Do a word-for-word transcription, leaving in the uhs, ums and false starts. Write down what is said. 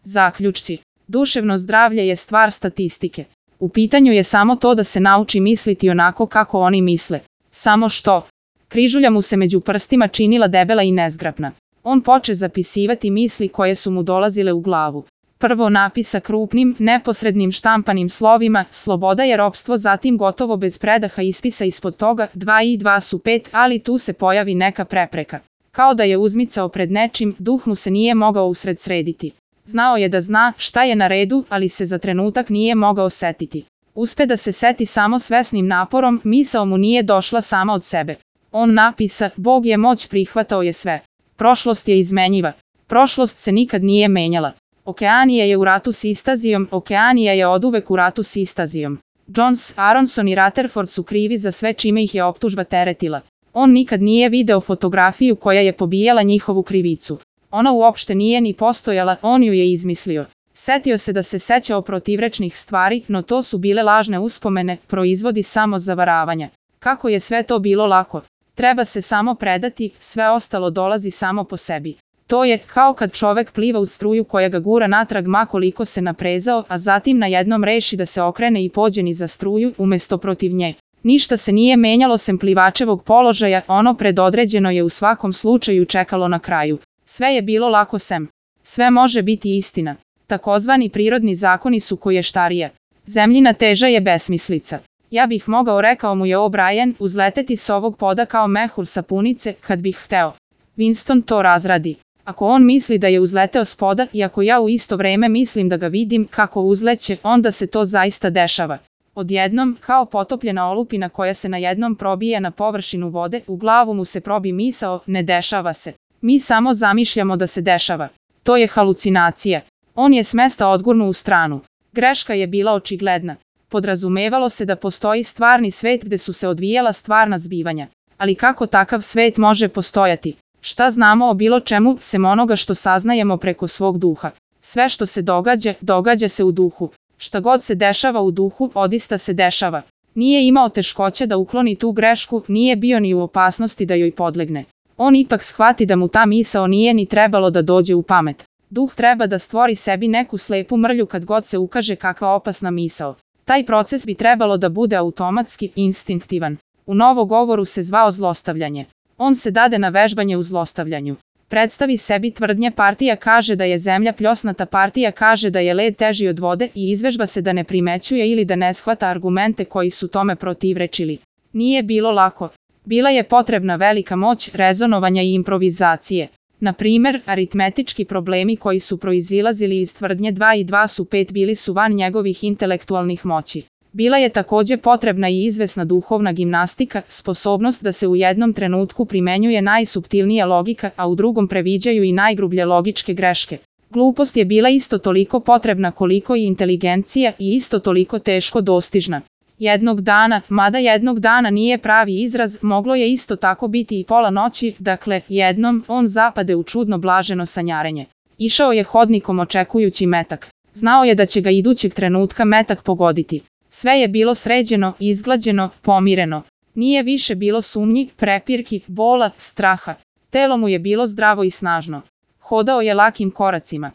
Zaključci. Duševno zdravlje je stvar statistike. U pitanju je samo to da se nauči misliti onako kako oni misle. Samo što? Križulja mu se među prstima činila debela i nezgrapna. On poče zapisivati misli koje su mu dolazile u glavu. Prvo napisa krupnim, neposrednim štampanim slovima, sloboda je ropstvo, zatim gotovo bez predaha ispisa ispod toga, dva i dva su pet, ali tu se pojavi neka prepreka. Kao da je uzmicao pred nečim, duh mu se nije mogao usred srediti. Znao je da zna šta je na redu, ali se za trenutak nije mogao setiti. Uspe da se seti samo svesnim naporom, misao mu nije došla sama od sebe. On napisa, Bog je moć, prihvatao je sve. Prošlost je izmenjiva. Prošlost se nikad nije menjala. Okeanija je u ratu s Istazijom, Okeanija je oduvek u ratu s Istazijom. Jones, Aronson i Rutherford su krivi za sve čime ih je optužba teretila. On nikad nije video fotografiju koja je pobijala njihovu krivicu. Ona uopšte nije ni postojala, on ju je izmislio. Setio se da se sećao protivrečnih stvari, no to su bile lažne uspomene, proizvodi samo zavaravanja. Kako je sve to bilo lako. Treba se samo predati, sve ostalo dolazi samo po sebi. To je kao kad čovek pliva u struju koja ga gura natrag ma koliko se naprezao, a zatim na jednom reši da se okrene i pođe niza struju, umesto protiv nje. Ništa se nije menjalo sem plivačevog položaja, ono predodređeno je u svakom slučaju čekalo na kraju. Sve je bilo lako sem. Sve može biti istina. Takozvani prirodni zakoni su koještarija. Zemljina teža je besmislica. Ja bih mogao, rekao mu je O'Brien, uzleteti s ovog poda kao mehur sapunice, kad bih hteo. Winston to razradi. Ako on misli da je uzleteo s poda i ako ja u isto vreme mislim da ga vidim kako uzleće, onda se to zaista dešava. Odjednom, kao potopljena olupina koja se na jednom probije na površinu vode, u glavu mu se probi misao, ne dešava se. Mi samo zamišljamo da se dešava. To je halucinacija. On je s mesta odgurnuo u stranu. Greška je bila očigledna. Podrazumevalo se da postoji stvarni svet gde su se odvijala stvarna zbivanja. Ali kako takav svet može postojati? Šta znamo o bilo čemu, sem onoga što saznajemo preko svog duha? Sve što se događa, događa se u duhu. Šta god se dešava u duhu, odista se dešava. Nije imao teškoće da ukloni tu grešku, nije bio ni u opasnosti da joj podlegne. On ipak shvati da mu ta misao nije ni trebalo da dođe u pamet. Duh treba da stvori sebi neku slepu mrlju kad god se ukaže kakva opasna misao. Taj proces bi trebalo da bude automatski, instinktivan. U novogovoru se zvao zlostavljanje. On se dade na vežbanje u zlostavljanju. Predstavi sebi tvrdnje, partija kaže da je zemlja pljosnata, partija kaže da je led teži od vode i izvežba se da ne primećuje ili da ne shvata argumente koji su tome protivrečili. Nije bilo lako. Bila je potrebna velika moć rezonovanja i improvizacije. Na primer, aritmetički problemi koji su proizilazili iz tvrdnje dva i dva su pet bili su van njegovih intelektualnih moći. Bila je takođe potrebna i izvesna duhovna gimnastika, sposobnost da se u jednom trenutku primenjuje najsuptilnija logika, a u drugom previđaju i najgrublje logičke greške. Glupost je bila isto toliko potrebna koliko i inteligencija i isto toliko teško dostižna. Jednog dana, mada jednog dana nije pravi izraz, moglo je isto tako biti i pola noći, dakle, jednom, on zapade u čudno blaženo sanjarenje. Išao je hodnikom očekujući metak. Znao je da će ga idućeg trenutka metak pogoditi. Sve je bilo sređeno, izglađeno, pomireno. Nije više bilo sumnji, prepirki, bola, straha. Telo mu je bilo zdravo i snažno. Hodao je lakim koracima.